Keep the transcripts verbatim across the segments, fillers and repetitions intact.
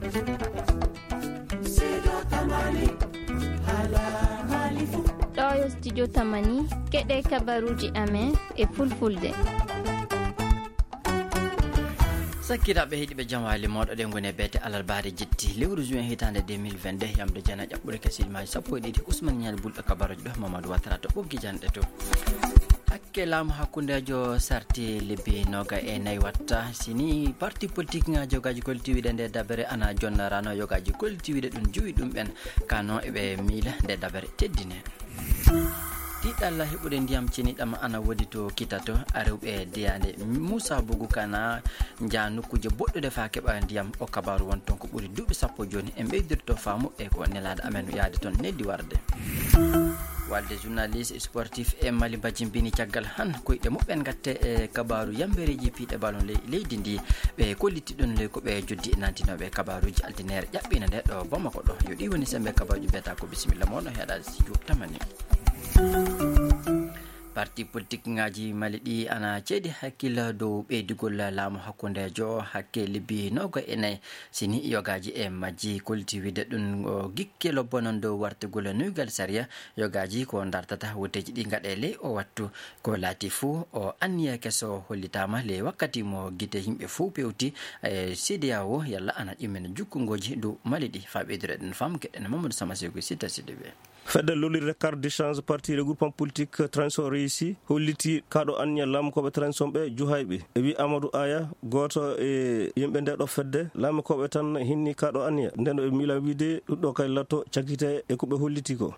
Ɗoo yo studio Tamani, keɗee kabaruuji amen e fulfulde. Sakkiraaɓe heɗiiɓe, jam waali mooɗon. Ɗee ngoni e beete alarbaare jetti lewru juin hitaande deux mille vingt-deux. Yamde jana ƴaɓɓude ka siɗi maaji sappo e ɗiɗi. Usman Ñaali Bulɗo kabaruuji ɗo, Mamadou Watara to ɓoggi janɗe to. Hakke laamu hakkundeejo sarti lebbi noga e nayi watta. Sini parti politik ŋaaji yogaaji kolti wiide nde dabere ana jonna rano yogaaji kolti wiide ɗum juwi ɗum ɓen kano eɓe miila nde dabere teddine. Tiɗalla heɓude ndiyam ceniɗam ana wodi to kitato arewɓe diyaande Musa Bugu kana nja nokkuuje boɗɗude faa keɓa ndiyam. O kabaaru won ton ko ɓuri duuɓi sappo jooni. En ɓeydirto faamu e ko nelaaɗo amen yaade ton neldi warde. Walde journaliste sportif e Mali mbajimbini caggal han koyɗe muɓɓen ngatte e kabaaru yambereeji piiɗe balon ley leydi ndi. Ɓe kolliti ɗon ley ko ɓe joddi e nantinooɓe kabaaruuji altineere ƴaɓɓiinde nde ɗo Bamako ɗo. Yo ɗi woni sembe kabaaruuji mbiyata ko bisimilla mon no heɗa studio Tamani. Parti politik ŋaaji Mali ɗi ana ceedi hakkille dow ɓeydugol laamu hakkundeejo hakke lebbi noga e nayi. Sini yogaaji e majji kolti wiide ɗum o gikke lobbo non dow wartugol nuygal sariya yogaaji ko dartata wotteeji ɗi ngaɗe ley o wattu. Ko laati fuu o anniya keso hollitaama ley wakkati mo gite yimɓe fuu pewti e C D A O yalla ana ƴummina jukkungooji dow Mali ɗi. Faa ɓeydude ɗen faamu keɗen Mamadou Sama Seyku Sita Sidibe. Fedde lollirde carte d'échange parti regroupement politique transition réussi hollitii kaɗo anniya laamukooɓe transition ɓe juhayɓe. E wi Amadou Aya, gooto e yimɓe nde ɗo fedde, laamukooɓe tan hinni kaɗo anniya. Nden ɓe miila wiide ɗum ɗo kay latto cakkite e ko ɓe hollitii ko.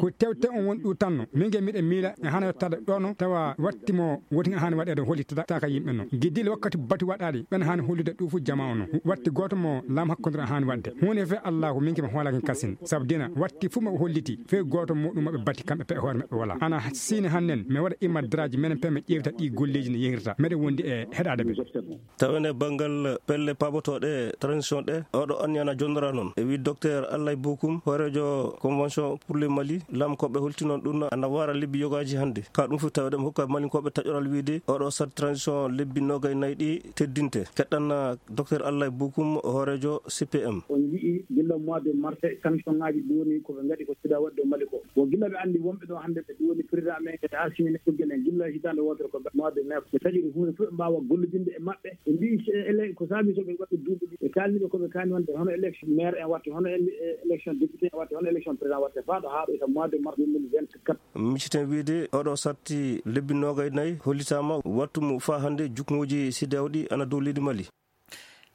Ko tewte on woni ɗum tanno. Min ge miɗen miila e hana yottade ɗo no tawa watti mo woti nga hani waɗeede hollitata ka yimɓe no. Giddiile wakkati batu waɗaali ɓen hani hollude ɗum fu jama o no. Watti gooto mo laam hakkondira hani waɗde. Huunde fe Allahu min ke mi hoolaki kasin. Sabu dina watti fu mo holliti fe gooto muɗum maɓɓe bati kamɓe pe hoore maɓɓe wala. Ana siini hannen mi waɗa imma daraaji menen pe mi ƴeewta ɗi golleeji no yehirta. Meɗen wondi e heɗaade ɓe. Tawen e banngal pelle paabotooɗe transition ɗe, oɗo anniya na jonnora noon. E wi Docteur Allay Bokum, hooreejo Convention pour le Mali, laamkooɓe holti noon ɗum ana waara lebbi yogaaji hannde. Ka ɗum fof tawde mo hokka Malinkooɓe taƴoral wiide oɗo sat transition lebbi noogay nayi ɗi teddinte. Keɗɗan Docteur Allay Bokum, hooreejo C P M. On nji'i gilla mois de mars, sanction ŋaaji duuni ko ɓe ngaɗi ko sida waɗde Mali ko. Bon, gilla ɓe anndi wonɓe ɗo hannde ɓe duwoni président amen kadi haa siine ɓe genen gilla hitaande wootere ko mois de mai. Ɓe taƴori huunde fof ɓe mbaawa gollodinde e maɓɓe. Ɓe mbiyi ele-, ko saabii so ɓe waɗi duuɓi ɗi. Ɓe kaalni ɓe ko ɓe kaani wonde hono élection maire en waɗte, hono ele-, élection député en waɗte, hono élection président waɗte, faa ɗo haa ɗo e mars deux mille vingt-quatre. Micciten wiide oɗo satti lebbi noogay nayi hollitaama wattu mo faa hannde jukngooji C D A O ɗi ana dow leydi Mali.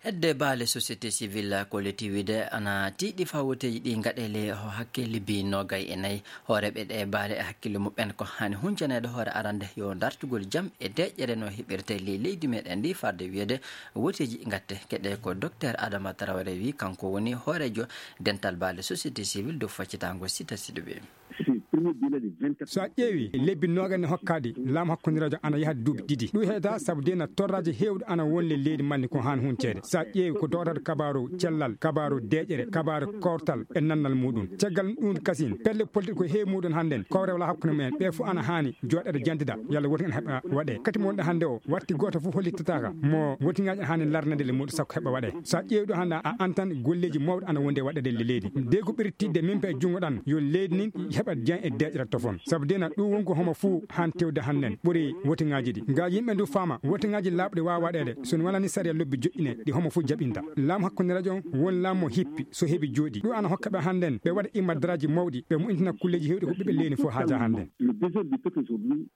Hedde baale société civile kolliti wiide ana tiiɗi faa wotteeji ɗi ngaɗe ley ho hakke lebbi noogay e nayi. Hooreeɓe ɗe baale e hakkille muɓɓen ko haani huncaneede hoore arande yo dartugol jam e deeƴere no heɓirtee ley leydi meɗen ndi farde wiyeede wotteeji ngatte. Keɗee ko Docteur Adama Traoré wi, kanko woni hooreejo dental baale société civile dow faccitaango Sita Sidibe. Si premier délai de vingt-quatre. So a ƴeewi lebbi noogay ne hokkaɗi laamu hakkondiraajo ana yaha duuɓi ɗiɗi. Ɗum heɗata sabu dina torraaji heewɗi ana won ley leydi Mali ko haan hunceede. So a ƴeewi ko dowtata kabaaru cellal, kabaaru deeƴere, kabaaru kawtal e nannal muuɗum. Caggal ɗum kasin, pelle politik ko heewi muuɗum hannden, kowre wala hakkunde mumen. Ɓe fof ana haani jooɗeede jantida, yalla woti en heɓa waɗee. Kati mo wonɗo hannde o, watti gooto fof hollitataaka mo wotiŋaaji haani larnede le muuɗum sakko heɓa waɗee. So a ƴeewi ɗo hannde a antan golleeji mawɗi ana wondi e waɗeede le leydi. Dey ko ɓuri tiiɗde min pe e junngo ɗan, yo leydi ndin heɓa diyan e deeƴere tofon. Sabu dina ɗum wonko homo fuu haan tewde hannden ɓuri wotiŋaaji ɗi. Nga yimɓe ndu faama, wotiŋaaji laaɓɗi waawa waɗeede, so no walani sariya lobbi joƴƴine ɗi homo fuu jaɓinta. Laamu hakkunde rajo won laamu mo hippi, so heɓi jooɗi. Ɗum ana hokka ɓe hannden, ɓe waɗa imma daraaji mawɗi, ɓe moƴƴintina kulleeji heewɗi ko ɓiɓɓe leydi fof haaja hannden. Le désordre du peuple aujourd'hui.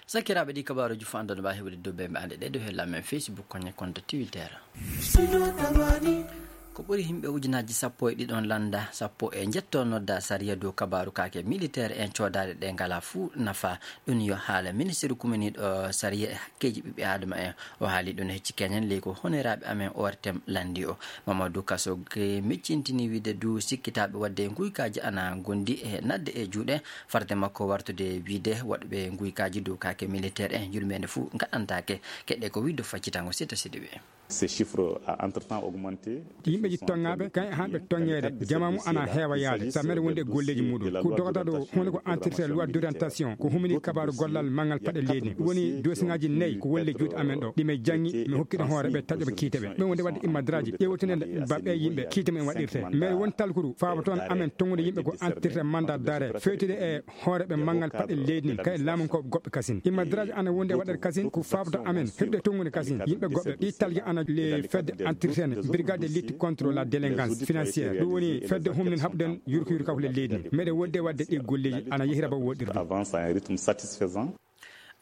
Sakiraaɓe, ɗi kabaaruuji fof anndon mbaawi heɓude dow bembe ande ɗe dow hella men Facebook, koñe konto Twitter. Ko ɓuri yimɓe ujunaaji sappo e ɗiɗon lannda, sappo e njetto nodda sariya dow kabaaru kaake militeer en coodaade ɗe ngalaa fuu nafa. Ɗum yo haala ministiru kuminiiɗo sariya e hakkeeji ɓiɓɓe aadama en. O haali ɗum e hecci keñen ley ko honoraaɓe amen O R T M lanndi o. Mamadou Kaso ge miccintini wiide du sikkitaaɓe waɗde nguykaaji ana ngondi e naatde e juuɗe farde makko wartude wiide waɗɓe nguykaaji dow kaake militeer en yurmeende fuu ngaɗantaake. Keɗɗee ko wiide faccitango Sita Sidibe. Ces chiffres a entre temps augmenté. Yimɓeeji toŋŋaaɓe kañe haanɓe toŋŋeede, jamaamu ana heewa yaade sameede wonde e golleeji muuɗum. Ko dogata ɗo huunde ko entretien loi d'orientation ko humini kabaaru gollal manngal paɗe leydi ndi. Ɗum woni dosiŋaaji nayi ko woni ley juuɗe amen ɗo ɗi men janngi, mi hokki ɗum hoore ɓe taƴoɓe kiite ɓe ɓe wonde waɗde immadraaji ƴeewtinde baɓɓe yimɓe kiite men waɗirte. Mbeɗe woni talkuru faabo toon amen toŋŋude yimɓe ko entretien mandat d'arrêt fewtude e hooreeɓe manngal paɗe leydi ndin kay laamu ko goɓɓe kasin. Immadraaji ana wondi e waɗeede kasin ko faabata amen heɓde toŋŋude kasin yimɓe goɓɓe. Ɗi talge ana le fedde entretien brigade de lutte contre la délinquance financière. Ɗum woni fedde humnin haɓden yurko yurka ko le leydi ndi. Meɗe wodde waɗde ɗi golleeji ana yehira ba woɗɗirde. Avance à un rythme satisfaisant.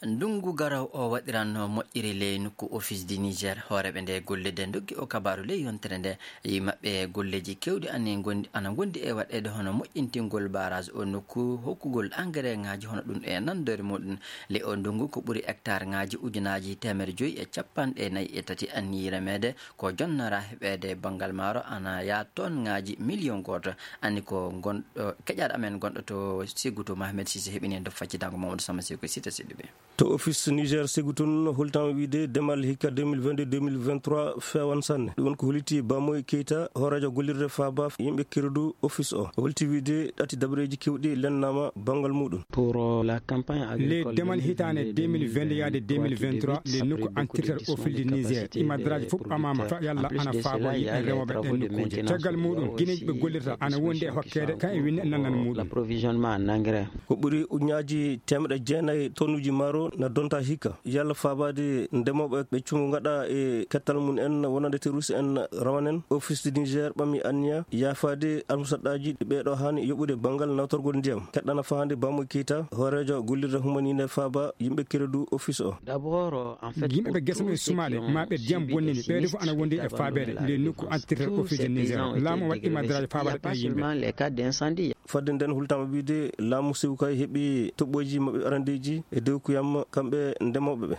Ndunngu garowo o waɗiranno moƴƴiri ley nokku Office du Niger. Hooreeɓe nde golle de ndoggi o kabaaru ley yontere nde. Yimɓe maɓɓe golleeji keewɗi ana ngondi, ana ngondi e waɗeede hono moƴƴintingol barrage o nokku, hokkugol engrais ŋaaji hono ɗum e nanndori muɗum. Ley o ndunngu ko ɓuri hectare ŋaaji ujunaaji teemedde joyi e cappanɗe nayi e tati anniyi remeede ko jonnora heɓeede banngal maaro ana yaa ton ŋaaji miliyon gooto. Anni ko ngonɗo keƴaaɗo amen gonɗo to Segutu Mohamed Sise heɓini en to faccitango Mamadou Sama Seko Sita Sidibe. To office Niger Segu tun, holtaama wiyde demal hikka deux mille vingt-deux deux mille vingt-trois feewan sanne. Ɗum woni ko holliti Bamoy Keita, hooreejo gollirde faaba yimɓe keredu office o. O holliti wiyde ɗati dabareeji keewɗi lelnaama banngal muuɗum. Pour, euh, la campagne agricole. Le demal hitaande deux mille vingt yaade deux mille vingt-trois, le nokku entretien office du Niger, imadraaji fof ɓamaama, fa yalla ana faaboo yimɓe remooɓe ɗen nokkuuje. Caggal muuɗum, gineeji ɓe gollirta ana wondi e hokkeede, kan e winne nannan muuɗum. L'approvisionnement en engrais. Ko ɓuri ujunnaaji teemedde jeenayi tonnuuji maaro na donta hikka. Yalla faabaade ndemooɓe ɓe cumu ngaɗa e kettal mum en wonande terroriste en rawanen, Office du Niger ɓami anniya yaafaade almusaɗɗaaji ɗi ɓeeɗo haani yoɓude banngal nawtorgol ndiyam. Keɗɗana fahaande Bamoy Keita, hooreejo gollirde humaniinde faaba yimɓe keredu office o. D'abord, en fait, yimɓe ɓe gesa mumen sumaaɗe, ma ɓe ndiyam bonnini, ɓeede fof ana wondi e faabeede nde nokku entretien office du Niger. Laamu o waɗi imadraaji faabaade ɓe yimɓe. Fadde nden hultaama wiyde laamu Sewu kay heɓi toɓɓooji maɓɓe arandeeji e dewkuyam kamɓe ndemooɓe ɓe.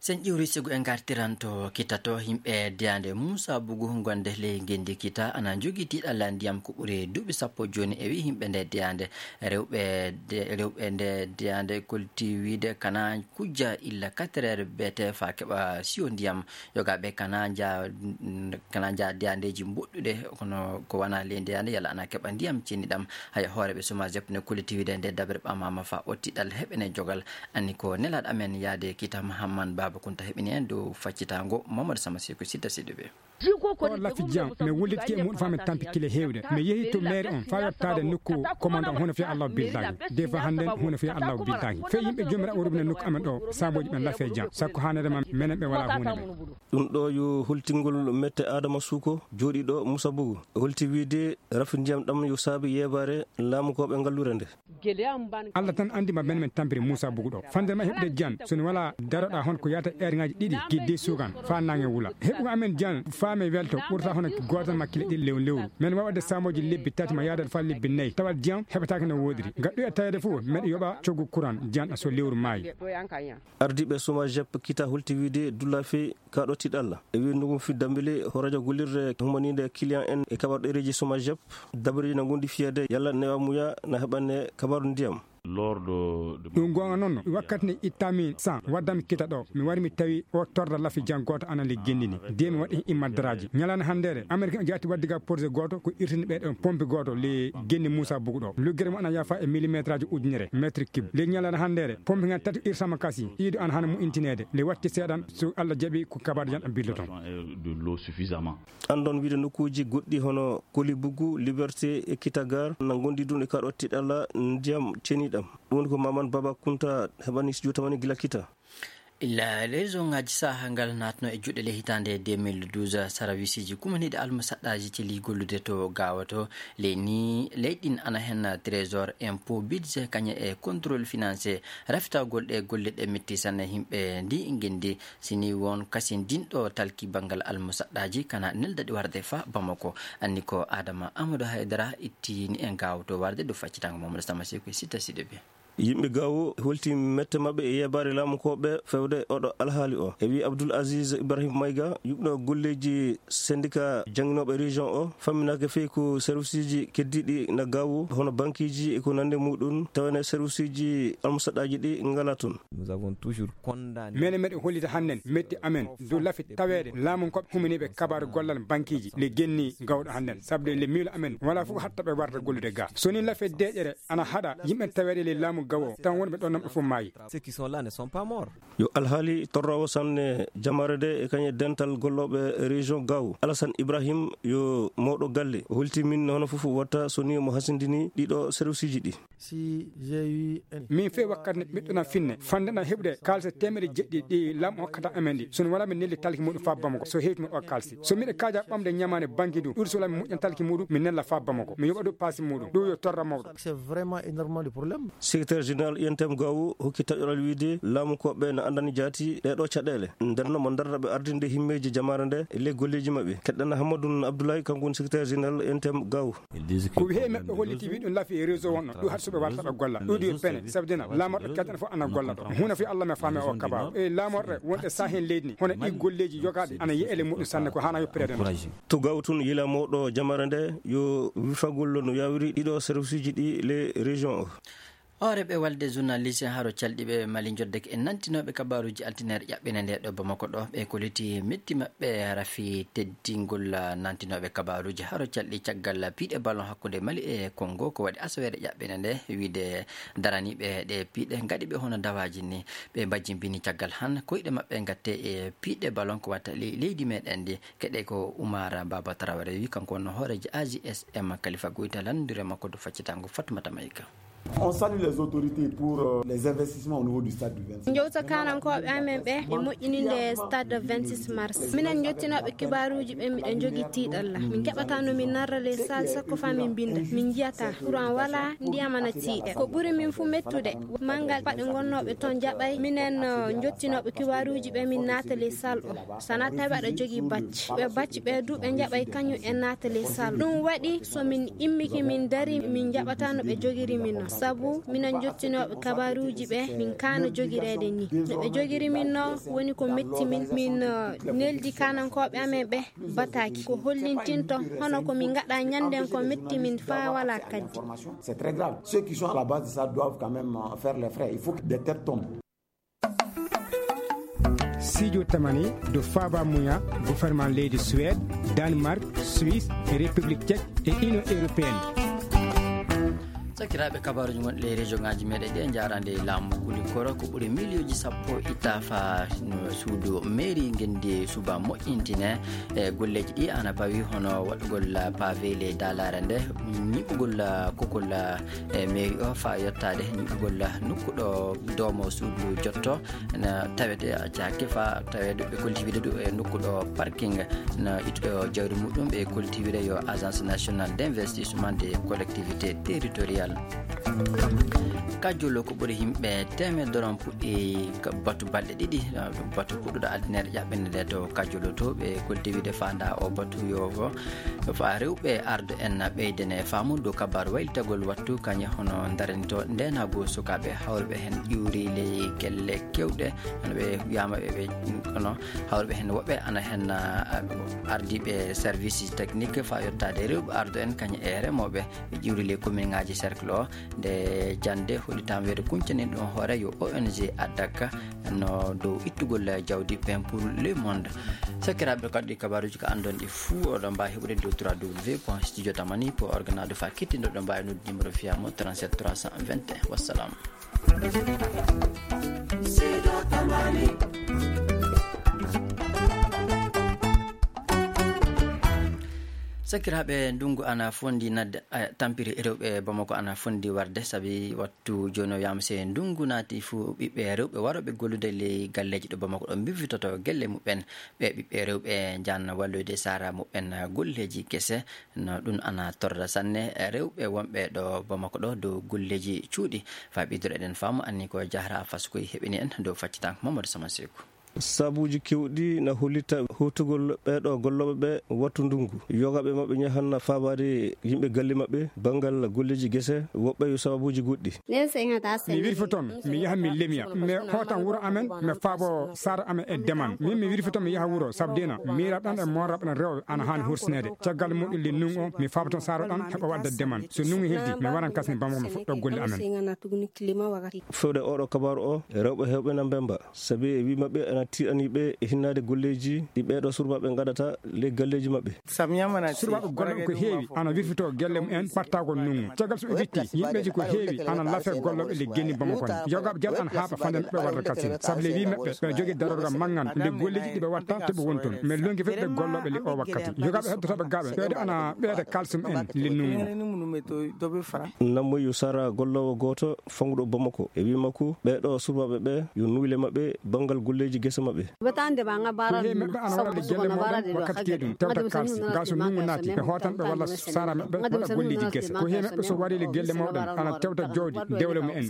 Sen ƴiwri Segu en ngartiran to Kita to, yimɓe diyaande Muusa Bugu gonde ley ngenndi Kita ana njogii tiiɗalla ndiyam ko ɓuri duuɓi sappo jooni. E wii yimɓe nde diyaande, rewɓe de-, rewɓe nde diyaande kolti wiide kana kujja illa quatre heures beete faa keɓa siyo ndiyam. Yogaaɓe kana nja-, kana nja diyaandeeji mboɗɗuɗe, kono ko wanaa ley ndiyaande yalla ana keɓa ndiyam cenniɗam. Haya, hooreeɓe Somajep ne kolliti wiide nde dabere ɓamaama faa otti ɗal heɓene jogal. Anni ko nelaaɗo amen yaade Kita Mahamman Baaba Kunta heɓini en dow faccitaango Mamadou Sama Seko Sidda Siddiɓe. Ko lafi jam, mi wullitike e muɗum faa mi tampi kile heewde. Mi yehi to mairie on faa yottaade nokku commandant huunde fii Allahu billaahi. Des fois hannden huunde fii Allahu billaahi. Fii yimɓe joomiraaɗo o rubina nokku amen ɗo, saabooji ɓen lafi jam. Sakko haanere ma menen ɓe walaa huunde ɓe. Ɗum ɗo yo holtingol mette Adama Suko, jooɗiiɗo Musa Bugu. Holti wiide rafi ndiyam ɗam yo saabi yeebaare laamukooɓe ngalluure nde. Allah tan anndi ma ben men tampiri Muusa Bugu ɗo. Fande ma heɓude jan, so ni wala daroɗa hon ko yata eerŋaaji ɗiɗi, ki de sugan, faa naange wula. Heɓugo amen jan, faa men welto, ɓurta hono gootal ma kile ɗiɗi lew lewru. Men waawade saamooji lebbi tati ma yaadal faa lebbi nayi, tawat jan heɓataake no woodiri. Gaɗɗo e taweede fof, men yoɓa coggu kuran, jan so lewru maayi. Ardiiɓe Somajep Kita holti wiide dulla fee Kaaɗo tiiɗalla. E wiy ndungu fi dambili, hooreejo gollirde humaniinde client en e kabaaru ɗereeji Somajep, dabareeji na ngondi fiyeede yalla newa muya na heɓane kabaaru ndiyam. Ɗum goonga noon, wakkati nde ittaami san, waddami Kita ɗo, mi wari mi tawi o torda lafi jan gooto ana le genndini. De mi waɗi immadraaji. Ñalaande hanndeere, Amerik en jaati waɗde ga projet gooto ko irtini ɓe ɗon pompe gooto le genndi Muusa Bugu ɗo. Luggere mo ana yafa e millimetraaji ujunere, mètre cube. Le ñalaande hanndeere, pompe ngan tati irtama kasi. Iido an hana moƴƴintineede. Nde watti seeɗan, so Allah jaɓi, ko kabaaji an ɓilloton. De l'eau suffisamment. Anndon wiide nokkuuji goɗɗi hono Koli Bugu, Liberté e Kita Gare na ngondi ɗum e kaaɗo tiiɗalla ndiyam ceniɗam. Ɗum woni ko Maman Baba Kunta heɓani studio tamani gila Kita. Illa région ŋaaji saha ngal naatno e juuɗe le hitaande deux mille douze, sarawisiiji kumaniiɗi almusaɗɗaaji celi gollude to Gaawo to. Ley nii, ley ɗin ana hen trésor, impôt, budget, kañe e contrôle financier. Rafitagol ɗe golle ɗe metti sanne yimɓe ndi ngenndi. Si nii won kasindinɗo talki banngal almusaɗɗaaji kana neldaɗi warde fa Bamako. Anni ko Adama Amadou Haydara ittini en Gaawo to warde ɗo faccitango Mamadou Sama Seko e Sitta Sidibe. Yimɓe Gaawo holti mette maɓɓe e yeebaare laamu kooɓe fewde oɗo alhaali o. E wii Abdul Aziz Ibrahim Mayga, yuɓɓinoowo golleeji sendika jannginooɓe région o, famminaaka fey ko serviceeji keddiiɗi na Gaawo, hono bankiiji e ko nanndi muuɗum, tawene serviceeji almusaɗaaji ɗi ngalaa toon. Nous avons toujours condamné. Menen meɗen hollita hannden metti amen dow lafi taweede laamu ko huminiiɓe kabaaru gollal bankiiji le genni gawɗo hannden, sabu de le miilo amen walaa fof hatta ɓe warta gollude ga. So ni lafi deeƴere ana haɗa yimɓe taweede le laamu gawo, tan wonɓe ɗon nan ɓe fof maayi. Ceux qui sont là ne sont pas morts. Yo alhaali torroowo sanne jamaare nde e kañe dental gollooɓe région Gaawo. Alassane Ibrahim yo mawɗo galle. O holti min hono fof watta so ni mo hasindini ɗiɗo serviceeji ɗi. Si j'ai eu un- Min fey wakkati nde ɓiɗɗo na finne, fande na heɓude kaalise teemedde jeɗɗi ɗi laamu hokkata amen ɗi. So no wala min nelli talki muɗum faa Bamako, so hewti mo o kaalisi. So miɗo kaaja ɓamde ñamaande banki ɗum, ɗum so wala min moƴƴan talki muɗum, min nella faa Bamako. Mi yoɓa ɗum paasi muɗum. Ɗum yo torra mawɗo. C'est vraiment énormément de problèmes. Secrétaire général I N T M Gaawo hokki taƴoral wiide laamu ko ɓe na anndani jaati ɗee ɗoo caɗeele. Nder no mo ndarra ɓe ardinde himmeeji jamaare nde e ley golleeji maɓɓe. Keɗɗen Hammadun Abdoulaye, kanko woni secrétaire général I N T M Gaawo. Ko wii he maɓɓe holliti wii ɗum lafi e réseau wonno. Ɗum haɗi so ɓe warta ɓe golla. Ɗum ɗi yo pene. Sabu dina laamorɗo keddana fof ana golla ɗo. Huna fi Allah me faami o kabaru. E laamorɗe wonɗe saahen leydi ni. Hono ɗi golleeji yogaaɗi ana yeele muɗum sanne ko hana yoppireede no. To Gaawo tun yila mawɗo jamaare nde yo wifagol no yawiri ɗiɗo serviceeji ɗi le région o. Hooreeɓe walde journaliste haro calɗi ɓe Mali njoddake e nantinooɓe kabaaruuji altineere ƴaɓɓinde nde ɗo Bamako ɗo. Ɓe koliti metti maɓɓe hara fii teddingol nantinooɓe kabaaruuji haro calɗi caggal piiɗe ballon hakkunde Mali e Kongo ko waɗi asaweere ƴaɓɓinde nde wiide daraniiɓe ɗe piiɗe ngaɗi ɓe hono dawaaji ni. Ɓe mbajjimbini caggal han koyɗe maɓɓe ngatte e piiɗe ballon ko watta ley leydi meɗen ndi. Keɗe ko Umar Baba Traoré wi kanko wonno hooreejo A J S M Kalifa Goyta lanndire makko do faccitaango Fatmata Mayka. On salue les autorités pour, euh, les investissements au niveau du stade du vingt-six. Njowta kanankooɓe amen ɓe e moƴƴininde stade vingt-six mars. Minen njottinooɓe kibaaruuji ɓe miɗen njogii tiiɗalla. Min keɓataa no min narra ley salle sakko faa min mbinnda. Min njiyataa. Courant walaa, ndiyam ana tiiɗe. Ko ɓuri min fuu mettude, manngal paɗe ngonnooɓe toon jaɓay. Minen, uh, njottinooɓe kibaaruuji ɓe min naata ley salle o. So wanaa tawi aɗa jogii bacci. Ɓe bacci ɓe duu ɓe njaɓay kañum en naata ley salle. Ɗum waɗi so min immike min ndarii, min njaɓataa no ɓe njogiri min non. Sabu minen njottinooɓe kabaaruuji ɓe, min kaana jogireede nii. No ɓe njogiri min non woni ko metti min. Min, uh, neldi kaanankooɓe amen ɓe bataaki. Ko hollintinto hono ko min ngaɗaa ñannden ko metti min faa walaa kaddi. C'est très grave. Ceux qui sont à la base de ça doivent quand même, euh, faire les frais. Il faut que des têtes tombent. Studio Tamani do faaba muya gouvernement leydi Suède, Danemark, Suisse e République Tchèque e Union Européenne. Sakiraaɓe, kabaaruuji ngonɗi e régiongaaji meɗen ɗi e njaaraande e laamu Kulikoro ko ɓuri miliyonji sappo itta faa no suudu mairie ngenndi suba moƴƴintine. E golleeji ɗi ana pawi hono waɗugol pavé ley daalaare nde, ñiɓugol kokol e mairie o faa yottaade ñiɓugol nokku ɗo doomo suudu jotto. Na tawete acca hakke faa taweede ɓe kolti wiide ɗum e nokku ɗo parking na ittuɗo jawdi muɗum ɓe kolti wiide yo Agence Nationale d'Investissement des Collectivités Territoriales. Kajjolo ko ɓuri yimɓe teemedere on puɗɗi ka batu balɗe ɗiɗi, batu puɗɗuɗo altine ƴaɓɓende nde to Kajjolo to ɓe kolti wiide faanda o batu yo faa rewɓe ardo en ɓeydene faamu dow kabaaru waylitagol wattu kañe hono ndaranto ndeenaagu sukaaɓe hawruɓe heen ƴuuri ley gelle keewɗe. Hono ɓe wiyaama ɓe, ɓe, kono hawruɓe heen woɓɓe ana heen, ah, ardiiɓe service technique faa yottaade rewɓe ardo en kañe e remooɓe ɓe ƴiwri ley commune ŋaaji cercle o. Nde jannde hollitaama wiyeede kuncani ɗum hoore yo O N G addaka no dow ittugol jawdi Pain pour le Monde. Sakiraaɓe, kadi kabaaruuji ko anndon ɗi fuu oɗon mbaawi heɓude dow trois W point studio tamani point org na dow faa kittindo ɗon mbaawi noddude numéro fiyaamo trente-sept trois cent vingt et un. Wassalam. Sakiraaɓe, ndunngu ana fondi nadde, eh, tampiri rewɓe Bamako ana fondi warde, sabi wattu jooni o wiyaama si ndunngu naati fuu ɓiɓɓe rewɓe warooɓe gollude ley galleeji ɗo Bamako ɗo mbifitoto gelle muɓɓen. Ɓe ɓiɓɓe rewɓe njahan walloyde sara muɓɓen golleeji kese. No ɗum ana torra sanne rewɓe wonɓe ɗo Bamako ɗo dow golleeji cuuɗi. Faa ɓeydude eɗen faamu anni ko jahra faskoy heɓini en dow faccitanko Mamadou Sama Seeku. Sabuuji keewɗi na hollita hootugol ɓee ɗoo gollooɓe ɓee wattu ndunngu. Yogaaɓe maɓɓe njahan faabaade yimɓe galle maɓɓe banngal golleeji gese, woɓɓe yo sababuuji goɗɗi. Mi wirfoton, mi yaha mi lemiya, mi hootan wuro amen, mi faabo saare amen e demal. Min mi wirfoton mi yaha wuro, sabu dina miiraaɓe am e mooraaɓe am rewɓe ana haani hursineede. Caggal muɗum le ndunngu o, mi faaboton saare am heɓa waɗde demal. So ndunngu heddii, mi waran kasen Bamako mi fuɗɗoo golle amen. Fewde oo ɗoo kabaaru oo, rewɓe heewɓe na mbemmba. Sabi e wii maɓɓe ana tiiɗanii ɓe e hinnaade golleeji ɗi ɓee ɗoo surbaaɓe ngaɗata ley galleeji maɓɓe. Surbaaɓe gollooɓe ko heewi ana wirfitoo gelle mum en ɓattaagol ndunngu. Caggal so ɓe witti, yimɓeeji ko heewi ana lafee gollooɓe ley genni Bamako en. Yogaaɓe jaɓa ana haaɓa fannde ɓe warda katin. Sabi ley wii maɓɓe, ɓe jogii darorgal manngal nde golleeji ɗi ɓe watta to ɓe woni toon. Mais lonngi fedde gollooɓe ley oo wakkati. Yogaaɓe heddotooɓe gaaɓe, ɓeeɗo ana ɓeyda kaalisi mum en ley ndunngu. Nammoy yo sara golloowo gooto fanguɗo Bamako. E wii makko, ɓee ɗoo surbaaɓe ɓee yo nuyle maɓɓe banngal golleeji gese maɓɓe. Ko heewi maɓɓe ana waɗa le gelle mawɗen wakkati keedun tewta kaalisi. Ngaa so ndunngu naati, ɓe hootan ɓe walla saara maɓɓe waɗa golleeji gese. Ko heewi maɓɓe so wari le gelle mawɗen ana tewta jawdi dewle mum en.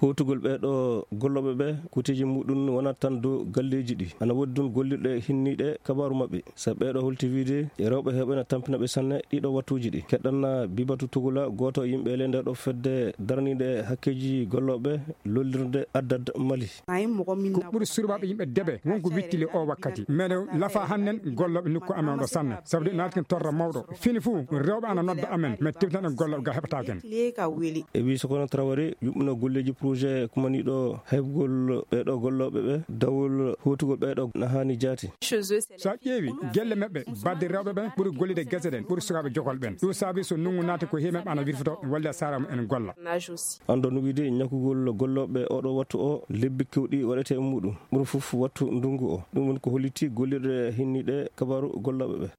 Hootugol ɓee ɗoo gollooɓe ɓee, kuuteeji muɗum wonaa tan dow galleeji ɗi. Ana woodi ɗum gollirɗe hinniiɗe kabaaru maɓɓe. Sabi ɓee ɗoo holti wiide e rewɓe heewɓe na tampina ɓe sanne ɗii ɗoo wattuuji ɗi. Keɗɗan Bibatu Tugula, gooto e yimɓe ley ndee ɗoo fedde daraniinde hakkeeji gollooɓe lollirde Addad Mali. Ko ɓuri surbaaɓe yimɓe debe won ko witti le oo wakkati. Meɗen lafa hannden gollooɓe nokku amen ɗoo sanne. Sabu de naati ken torra mawɗo. Fini fuu rewɓe ana nodda amen. Men tewtinan ɗen gollooɓe ga heɓataake en. E wii Sokono Traoré yuɓɓino golleeji projet kumaniiɗo heɓgol ɓee ɗoo gollooɓe ɓe dawol hootugol ɓee ɗoo na haani jaati. So a ƴeewi gelle maɓɓe, baɗde rewɓe ɓe ɓuri gollude gese ɗen, ɓuri sukaaɓe jokol ɓen. Ɗum saabi so ndunngu naati ko heewi maɓɓe ana wirfitoo walla saara mum en golla. Anndon wiide ñakugol gollooɓe oo ɗoo wattu oo, lebbi keewɗi waɗete e muɗum. Ɓuri fof wattu ndunngu oo. Ɗum woni ko holliti gollirɗe hinniiɗe kabaaru gollooɓe ɓe.